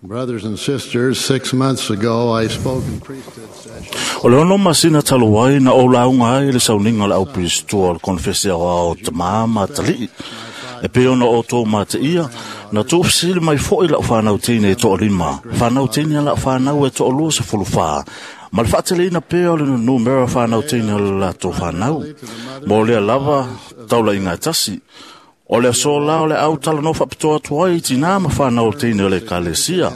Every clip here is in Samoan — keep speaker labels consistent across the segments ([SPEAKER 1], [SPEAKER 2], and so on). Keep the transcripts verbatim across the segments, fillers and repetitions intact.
[SPEAKER 1] Brothers and sisters, six months ago I spoke in priesthood session.
[SPEAKER 2] O le ono masina talu ai na o launga ai le sauniga o le aupiristua o le konefesi aoao o tamā ma atalii. E pei ona outou mateia, na tuufesili mai fo'i la'u fanau teine e to'alima, fanau teine a la'u fanau e to'alua sefulufā, ma le fa'ateleina pea o le numera fanau teine o le latou fanau. Mo lea lava taula'iga e tasi. O le aso la o le au talanoa faapitoa atu ai i tinā ma fanau teine o le ekalesia.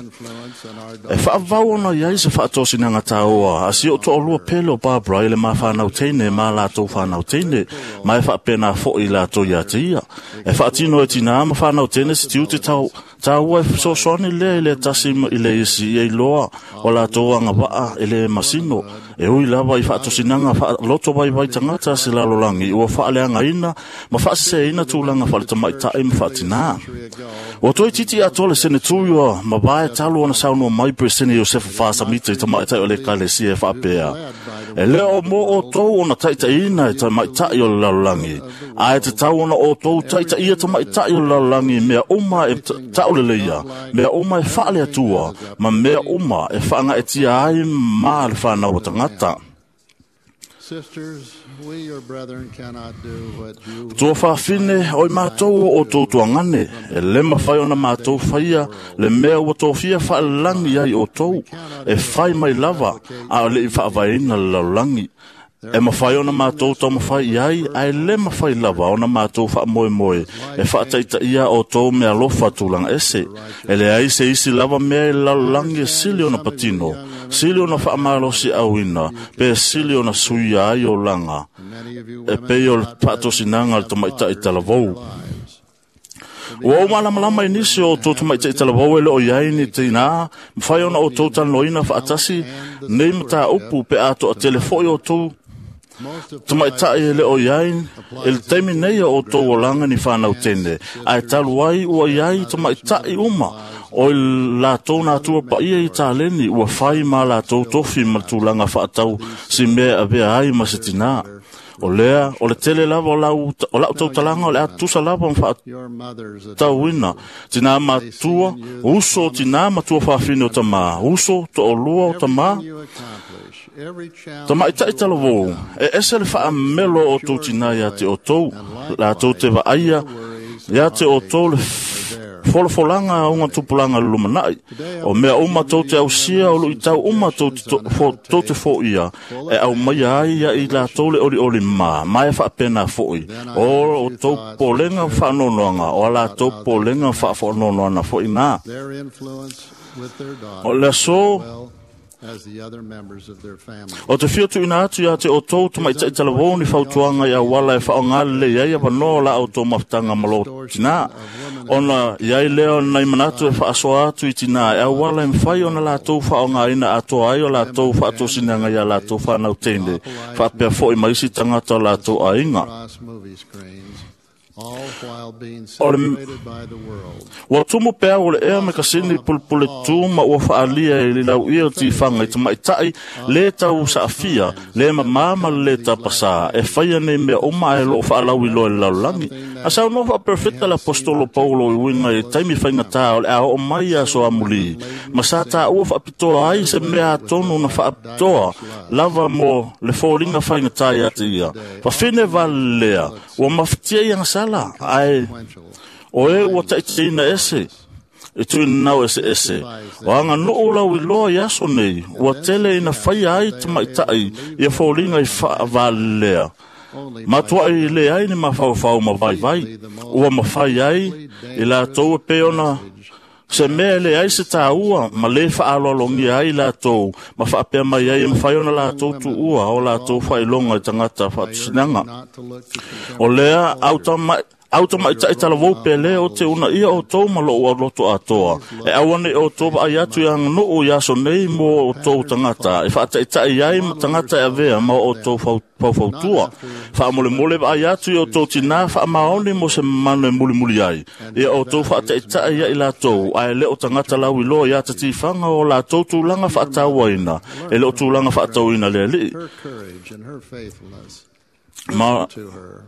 [SPEAKER 2] E faavavau ona i ai se faatosinaga tāoa a si o'u to'alua pele o Barbara i le mafanau teine ma latou fanau teine, ma e faapena fo'i latou iā te ia. E faatino e tinā ma fanau teine se tiute tau tāua e fesoasoani lea i le tasi i le isi ia iloa o latou agava'a e lē masino. E ui lava i faatosinaga faaloto vaivai tagata se lalolagi ua faaleagaina ma faasesēina tulaga faaletamaitai ma faatinā. Ua toe titi atoa le senetui ua mavae talu ona saunoa mai Peresene Iosefa Fasamita i tamaitai o le ekalesia e faapea, e lē o mo outou ona taitaʻiina e tamaitai o le lalolagi, ae tatau ona outou taitaʻia tamaitai o le lalolagi i mea uma e taʻuleleia, mea uma e faaleatua, ma mea uma e faagaetia ai ma le fanau a tagata.
[SPEAKER 1] Sisters, we your brethren cannot do what you
[SPEAKER 2] Tua faafine o i matou o outou tuagane, e lē mafai ona matou faia le mea ua tofia faalelagi ai outou, e fai mai lava a o leʻi faavaeina le lalolagi. E mafai ona matou taumafai i ai, ae lē mafai lava ona matou faamoemoe e faataitaia outou mealofa tulaga ese. E leai se isi lava mea i le lalolagi e sili ona patino, sili ona faamalosiauina, pe sili ona suia ai olaga, e pei o le faatosinaga a le tamaitaʻi talavou. Ua ou malamalama i nisi o outou tamaitaʻi talavou e le o i ai ni tinā, mafai ona outou talanoaina faatasi nei mataupu pe a toatele fo'i outou tamaitaʻi e le o i ai i le taimi nei o outou olaga ni fanau tene, ae talu ai ua i ai tamaitaʻi uma o i latou natua paia i taleni ua fai ma latou tofi ma le tulaga faatau si mea e avea ai ma se tinā. O lea, o le tele lava o lau, o lau tautalaga o le a tusa lava ma
[SPEAKER 1] your mothers
[SPEAKER 2] faatauina tinā matua, uso o tinā matua faafine o tamā, uso to'alua o tamā,
[SPEAKER 1] you accomplish, every challenge
[SPEAKER 2] Tamaitaʻi talavou, e ese le faamelo o outou tinā iā te outou, latou te vaaia iā te outou le folafolaga auga tupulaga le lumanaʻi. O mea uma tou te ausia o luʻitau uma tou te to- fo- tou te foʻia, e aumaia ai ia i latou le olioli mā, ma e faapena foʻi. O outou polega faanoanoaga, o a latou polega faafoanoanoana foʻi nā.
[SPEAKER 1] their influence with their
[SPEAKER 2] O le
[SPEAKER 1] daughters
[SPEAKER 2] aso
[SPEAKER 1] as well as the other members of their family.
[SPEAKER 2] O te fia tuuina atu iā te outou tamaitaʻi talavou ni fautuaga i auala e faaaogā lelei ai avanoa o la outou mafutaga ma lo tinā. Ona i ai lea o nai manatu e faasoa atu i tinā e auala e mafai ona latou faaaogāina atoa ai o latou faatosinaga iā latou fanau teine, faapea foʻi ma isi tagata o latou aiga.
[SPEAKER 1] Across movie screens, all while being
[SPEAKER 2] O le
[SPEAKER 1] celebrated by the world.
[SPEAKER 2] Ua tumu pea o le ea me kasini pulepule tū ma ua faalia i le lauia o tifaga i tamaitaʻi lē tau saafia, lē mamā ma le lē tapasā, e faia nei mea uma ae loo faalauiloa i le lalolagi. A saunoa faaperefeta le apostolo Paulo i uiga i taimi faigatā o le a oo mai aso amulī, ma sa tāua faapitoa ai se mea atonu na faapitoa lava mo le foliga faigatā iā te ia. Fafine valelea, ua mafatia i agasala, ae o e ua taʻitaʻina ese e tuinau ese ese. O aga nuu lau iloa i aso nei, ua tele ina faia ai tamaitaʻi ia foliga i faavalelea. Matuaʻi le ai ni mafaufau ma vaivai, ua mafai ai i latou e pei ona se mea e leai se tāua ma lē faaaloalogia ai latou ma faapea mai ai e mafai ona latou tuua o latou faailoga i tagata faatosinaga.
[SPEAKER 1] Not to look to
[SPEAKER 2] O lea au tamaʻi au tamaitaʻi talavou pele o te unaia outou ma lou auloto atoa. E auane outou vaai atu i aganuu i aso nei mo outou tagata, e faataʻitaʻi ai ma tagata e avea ma o outou fau- faufautua. Faamolemole vaai atu i outou tinā faamaoni mo se manu e mulimuli ai. Ia outou faataʻitaʻi ia i latou, ae lē o tagata lauiloa iā tatifaga o latou tulaga faatauaina, e lē o tulaga faatauina le alii.
[SPEAKER 1] her courage and her faithfulness
[SPEAKER 2] Ma
[SPEAKER 1] to her.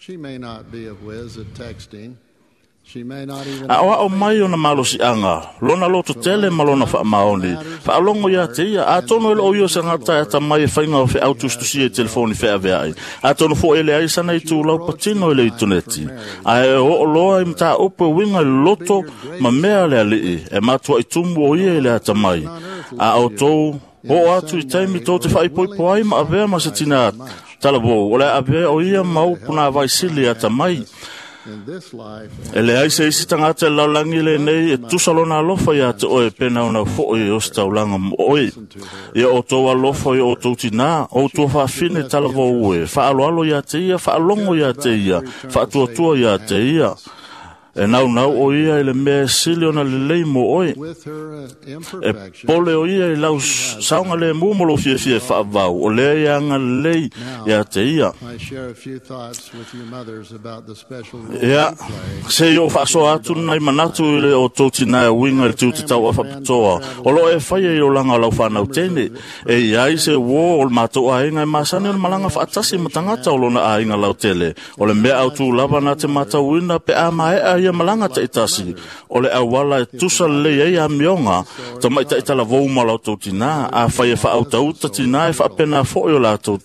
[SPEAKER 1] She may not be a whiz at texting,
[SPEAKER 2] A o ao mai ona malosiaga, lona loto tele ma lona faamaoni, faalogo ia te ia, atonu e loo ia o se gata e atamai e faiga o feau tusitusia i telefoni feaveai, atonu foi e leai sana itulau patino i le itoneti, ae oo loa i mataupu e uiga i le loto ma mea a le alii, e matuai tumu o ia i le atamai. A outou oo atu i taimi tou te faaipoipo ai ma avea ma se tina talavou, o le a avea o ia ma upu nā vaisili atamai. E leai se isi tagata i le lalolagi lenei e tusa lona alofa ia te oe pe naunau foi o se taulaga mo oe. Ia outou alofa i o outou tinā, outou faafine talavou e, faaloalo ia te ia, faalogo ia te ia, faatuatua ia te ia. E naunau o ia i le mea e sili ona lelei mo oe. E pole o ia i lau saoga lemu mo lou fiafia e faavau, o lea ia agalelei ia te ia. Ia, se i o faasoa atu nai manatu i le o tou tinā e uiga i le tiute tauafaapitoa, o loo e faia i olaga o lau whanau tene. E iai se uō o le mātou aiga e masani o le malaga faatasi ma tagata o lona aiga lautele. O le mea autū lava na te matauina pe a maea ia malaga taitasi, o le auala e tusa lelei ai amioga, tamaita'i talavou ma latou tinā, afai e faautauta tinā e faapena foi o latou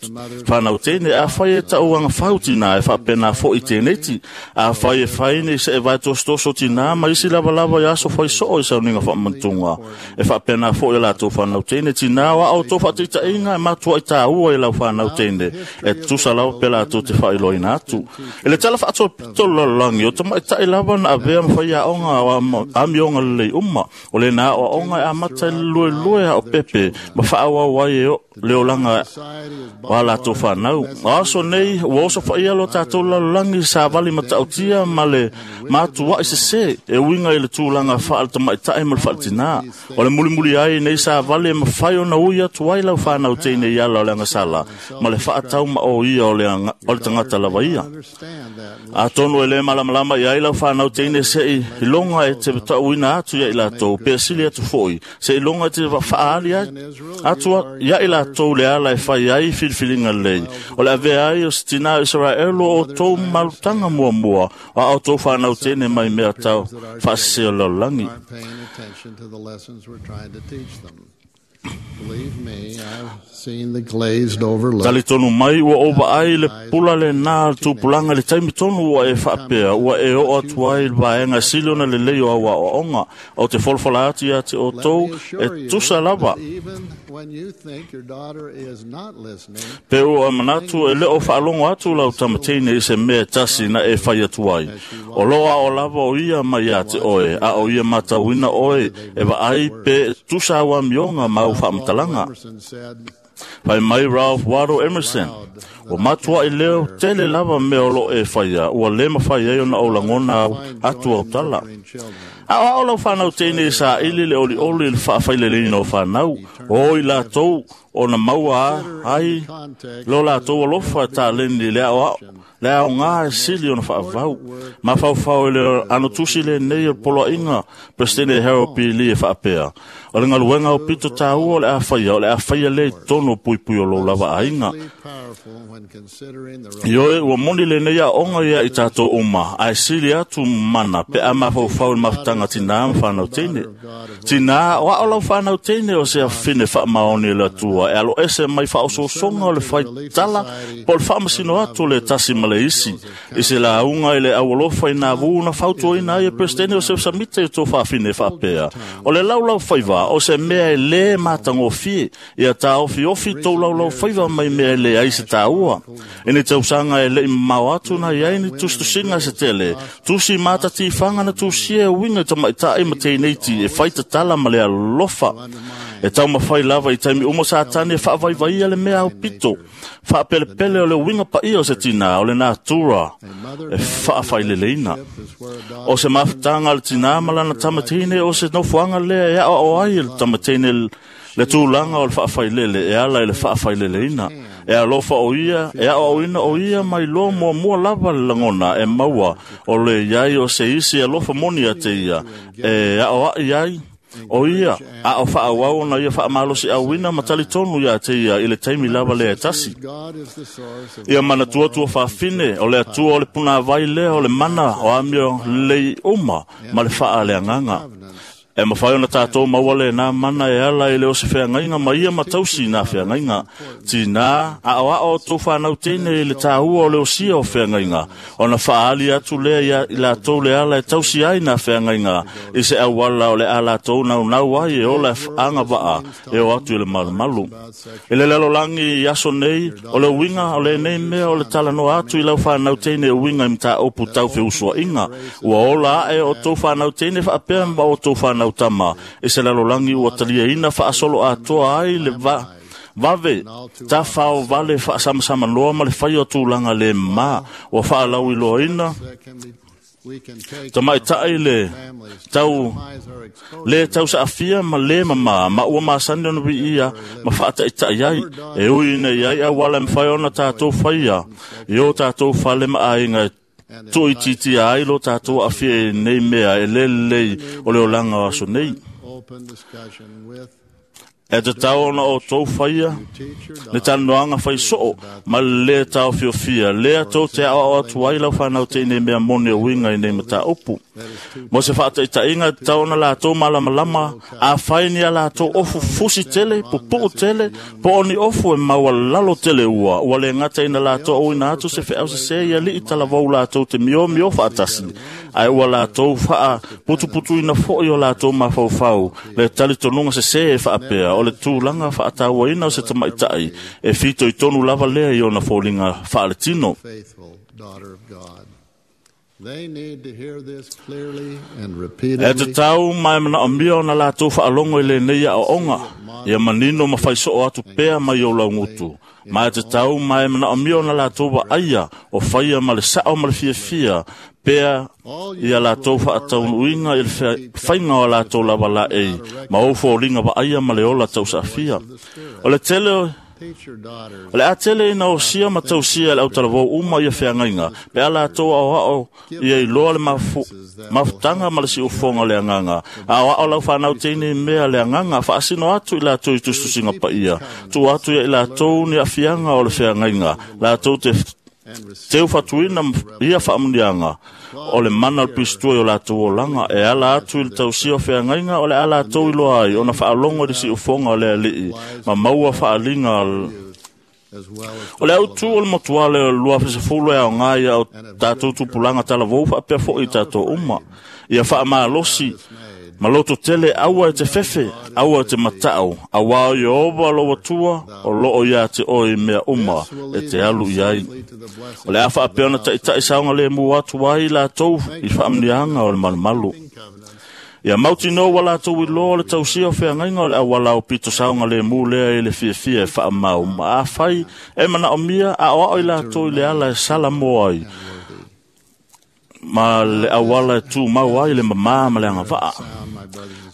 [SPEAKER 2] whanau tene, afai e tauagafau tinā e faapena foi teneiti, afai e fai nei se e vaetosotoso tinā ma isi lavalava i aso faisoo i sauniga faamanatuga, e faapena foi o latou whanau tene, tinā o a outou faataitaiga e matuai tāua i lau whanau tene, e tusa lava pe latou te faailoaina atu. I le tala faatopito o le lalolagi, o tamaita'i lava na avea ma faiaoga o amioga lelei uma, o lena aoaoga e amata i le luelue a o pepe ma faaauau ai e o le olaga o a latou fanau. O aso nei ua oso faia lo tatou lalolagi savali matautia ma le matuai sesē e uiga i le tulaga faale-tamaitai ma le faaletinā. O le mulimuli ai nei savali e mafai ona ui atu ai lau fanau teine i ala o le agasala ma le faatau ma o ia o le, aga, o le tagata lava ia. Atonu e le malamalama i ai lau whanau teine se i iloga e te tauina atu ia i latou, pe sili atu foi, se iloga e te faali ai atu ia i latou le ala e fai ai filifiliga lelei. O le avea ai o se tinā o Israelo o outou malutaga muamua, o a outou whanau teine mai mea tau faasese o le lalolagi.
[SPEAKER 1] Aren't paying attention to the lessons we're trying to teach them. Believe me, I've seen the glazed over look.
[SPEAKER 2] Talitonu mai ua ou vaai le pula lenā le tupulaga i le taimi tonu ua e faapea, ua e oo atu ai i le vaega sili ona lelei o au aoaoga, o te folafola atu ia te
[SPEAKER 1] Let
[SPEAKER 2] outou
[SPEAKER 1] me
[SPEAKER 2] e
[SPEAKER 1] assure you
[SPEAKER 2] tusa lava.
[SPEAKER 1] that even when you think your daughter is not listening,
[SPEAKER 2] Pe ua manatu e le o faalogo atu lau tamateine i se mea tasi na e fai atu ai. O loa o lava o ia mai ia te oe, a o ia matauina oe, e vaai pe tusa au amioga ma au faamatalaga.
[SPEAKER 1] Emerson said,
[SPEAKER 2] Fai mai Ralph Waldo Emerson, ua matuai leo tele lava mea o loo e faia, ua le mafai ai ona ou lagona au atu au tala.
[SPEAKER 1] "Nurturing children."
[SPEAKER 2] A o ao lau whanau teine i sa ili le oli oli i le whaafaileleina o whanau, o i latou o na maua a ai lo latou alofa e tāleni le ao ao, le ao ngā e sili ona whaavau. Ma whauwhau i le ano tusi le nei o poloainga, Presidente Harold P. Lee e whaapea. O le ngaluenga o pito tāua o le a whaia, o le a whaia le i tono pui pui o lo lava ainga.
[SPEAKER 1] Especially powerful when considering the
[SPEAKER 2] Ioe, ua moni le nei a onga ia i tātou uma, ai sili atu mana, pe a mawhauwhau i mafutanga tinā ma whanau teine. Tinā, o ao lau whanau teine o se awhine whaamaoni le atua, e alo ese mai whaososoga o le whai tala, po le whaamasino atu le tasi ma le isi. I se la unga i le awalofa i nā vūna fautuaina ai e Presidente o se samite i tō whaafine whaapea. O le laulau whaiva, o se mea e le mātangofie, ia tā ofi ofi tō laulau whaiva mai mea e le ai se tāua. E ne tausaga e lei mamao atu na iai ni tusitusiga se tele. Tusi mātati whanga na tusia e winga tamaitai ma tēneiti e whai tatala ma le alofa. E tau mawhai lava i taimi umo sa tane whaavaivaia le mea au pito. Whaapelepele o le winga paia o se tina o le natura e whaawhaileleina. O se mafutanga le tina ma lana tamatine o se nofuanga lea e ao o ai le tamatine le tūlanga o le whaafailele e ala i le whaafaileleina. E alofa o ia, e ao auina o ia mai loa mua mua lava le lagona e maua o le iai o se isi alofa moni a te ia. E ao ai ai O ia, a o whaawau na ia whaamalosi awina matalitonu ia te ia i le taimi lava lea tasi. Ia mana tua tua whaafine, o le atua o le puna vai lea o le mana o amio lei uma ma le whaa le anganga. E mawhai ona tātou mauale nā mana e ala i le o se wheangainga ma ia matausi nā wheangainga. Tīnā, a o ao tō whanau tēnei i le tāua o le osia o wheangainga. Ona whaali atu lea ia i lātou le ala e tausi ai nā wheangainga. I se awala o le a lātou nau nau ai e ola e anga waa e o atu i le malumalu. I le lalo langi i aso nei, o le uinga o le nei mea o le talanoa atu i lau whanau tēnei uinga i mta opu tau wheusua inga. Ua ola ae o tō whanau tēnei whaapea ma o tō whanau tama i se lalolagi ua taliaina faasolo atoa ai le va vave tafao vale faasamasama ma le fai o tulaga le mā ua faalauiloaina tamaitaʻi le tau le tausaafia ma le mamā ma ua masani ona viia ma faataʻitaʻi ai e ui ina iai auala e mafai ona tatou faia i o tatou fale ma aiga e tuʻuitiitia ai lo tatou aafia i nei mea e lelelei o le olaga o aso nei. E te tau ona o tō whaia, le talanoaga fai soo, ma le lē taofiofia, lea tou te aoao atu ai lau whanau tēnei mea moni o uiga i nei mataupu. Mo se faataitaiga e tatau ona latou malamalama, a fai ni a latou ofu fusi tele, pupuu tele, po o ni ofu e maualalo tele ua, ua le gata ina latou auina atu se feau sesē ia alii talavou latou te miomio faatasi, ae ua latou faaputuputuina foʻi o latou mafaufau, le talitonuga sesē e faapea, o le tulaga faatauaina o se tamaitaʻi e fitoitonu lava lea i ona foliga faaletino. E tatau ma e manaomia ona latou faalogo i lenei aoaoga ia manino ma faisoo atu pea mai o laugutu. Ma e tatau ma e manaomia ona latou vaaia o faia ma le sao ma le fiafia pea ia latou faataunuuina i le faiga o latou lava laei ma ou foliga vaaia ma le ola tausaafia. O le tele O le a tele ina osia ma tausia le autalavou uma ia feagaiga pe a latou aoao ia iloa le mafu, mafutaga ma le siufoga o le agaga. Aoao lau whanau tēnei mea le agaga faasino atu i latou i tusitusiga paia. Tuu atu ia i latou ni afiaga o le feagaiga. Latou te teu fatuina ia faamuniaga o le mana o le pistua i o latou olaga e ala atu i le tausia o feagaiga o le a latou iloa ai ona faalogo i le siufoga o le alii ma maua faaliga o le autu o le motuale o le lua fesefulu e aoga ia o tatou tupulaga talavou faapea foʻi i tatou uma ia faamalosi ma loto tele aua e te fefe, aua e te matau, auā o Ieova lou Atua o loo ia te oe i mea uma e te alu i ai. O le a faapea ona taʻitaʻi saoga lemu atu ai latou i faamuniaga o le malumalu. Ia mautinoa ua latou iloa o le tausia o feagaiga o le auala o pito saoga lemu lea i le fiafia e faamau ma afai e manaomia aoao i latou i le ala e sala mo ai ma le auala e tumau ai le mamā ma le agavaa.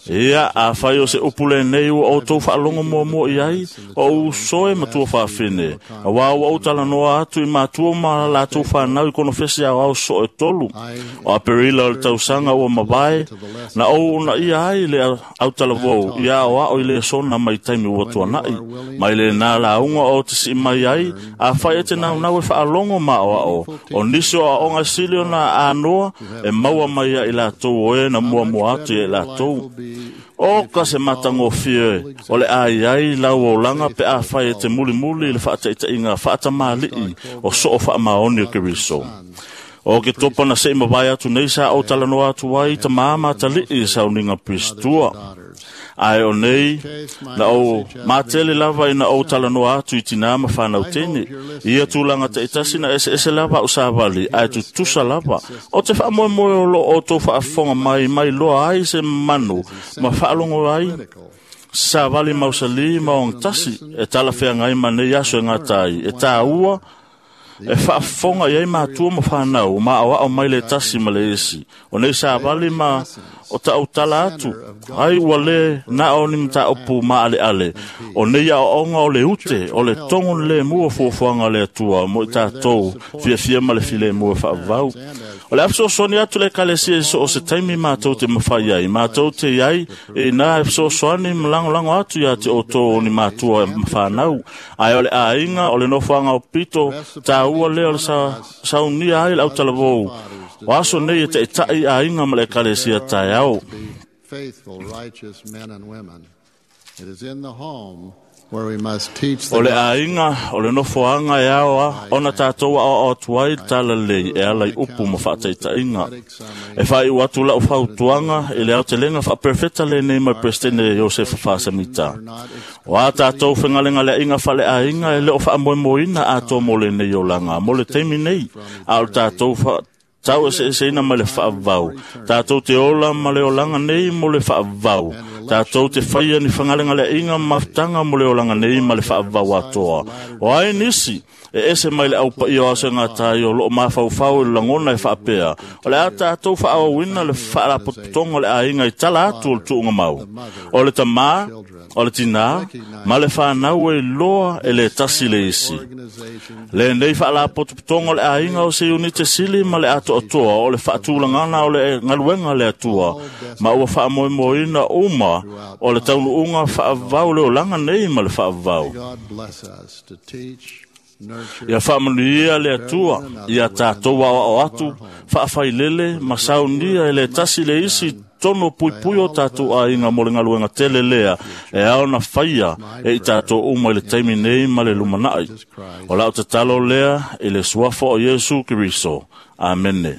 [SPEAKER 2] Ia, afai o se upu lenei ua outou faalogo muamua i ai, o ou soe ma tua faafine, auā ua ou talanoa atu i matua ma latou fanau i konofesi aoao soo e tolu. O Aperila o le tausaga ua mavae, na ou unaia ai le autalavou ia aoao i le sona mai taimi ua tuanaʻi. Mai lenā lauga o te sii mai ai, afai e te naunau e faalogo ma aoao, o nisi o aoga sili ona anoa e maua mai ia i latou o e na muamua atu ia i latou. O ka se matagofie o le ai ai lau olaga pe afai e te mulimuli i le faataʻitaʻiga faatamāliʻi o soo faamaoni o Keriso. O ke topa na sei mavae atu nei sa ou talanoa atu ai tamā ma atalii i sauniga pistua. Ae o nei, na ou matele lava ina ou talanoa atu i tinā ma whanau tēne. Ia tūlanga taʻitasi na eseese lava au savali, ae tutusa lava. O te faamoemoe o loo o tō faafofoga mai mai loa ai se manu, ma faalogo ai savali mausali ma ogatasi, e talafeagai ma nei aso e gata ai. E tāua, e faafofoga i ai matua ma whanau, ma aoao mai le tasi ma le isi. O nei savali ma o taʻautala atu, ai ua lē na o ni mataupu maʻaleʻale. O nei aoaoga o le ute, o le togo le lemu o fuafuaga o le Atua mo i tatou fiafia ma le filemu e faavavau. O le a fesoasoani atu le Ekalesia i so o se taimi matou te mafai ai, matou te i ai e ina e fesoasoani ma lagolago atu ia te outou o ni matua ma fanau. Ae o le aiga o le nofoaga o pito taua lea o le sa, saunia ai le autalavou. O aso nei e taʻitaʻi aiga ma le Ekalesia taeao.
[SPEAKER 1] Faithful, righteous men and women. It is in the home where we must teach the
[SPEAKER 2] O le aiga, o le nofoaga e aoa, ona tatou aoao atu ai le talalelei e ala i upu ma faataitaiga. E faaiu atu lau fautuaga i le aotelega faaperefeta lenei mai Peresetene Iosefa Faasamita. O a tatou fegalegaleaiga faaleaiga e le o faamoemoeina atoa mo lenei olaga, mo le taimi nei, a o le tatou fa tau eseeseina mai le faavavau. Tatou te ola ma le olaga nei mo le faavavau. Tatou te faia ni fegalegaleaiga ma mafutaga mo le olaga nei ma le faavavau atoa. O ai nisi e ese mai le aupaia o aso e gata ai o loo mafaufau i le lagona e faapea, o le a tatou faaauauina le faalapotopotoga o le aiga i tala atu o le tuugamau. O le tamā, o le tinā, ma le fanau e iloa e le tasi le isi. Lenei faalapotopotoga o le aiga o se iunite sili ma le atoatoa o le faatulagana o le galuega le Atua, ma ua faamoemoeina uma o le taunuuga faavavau le olaga nei ma le faavavau.
[SPEAKER 1] God bless us to teach, nurture,
[SPEAKER 2] Ia faamanuia le Atua ia tatou aoao atu, faafailele ma saunia e le tasi le isi tonu puipui o tatou aiga mo le galuega tele lea e ao na faia e i tatou uma i le taimi nei ma le lumanai. O lau tatalo lea i le suafa o Iesu Keriso. Amene.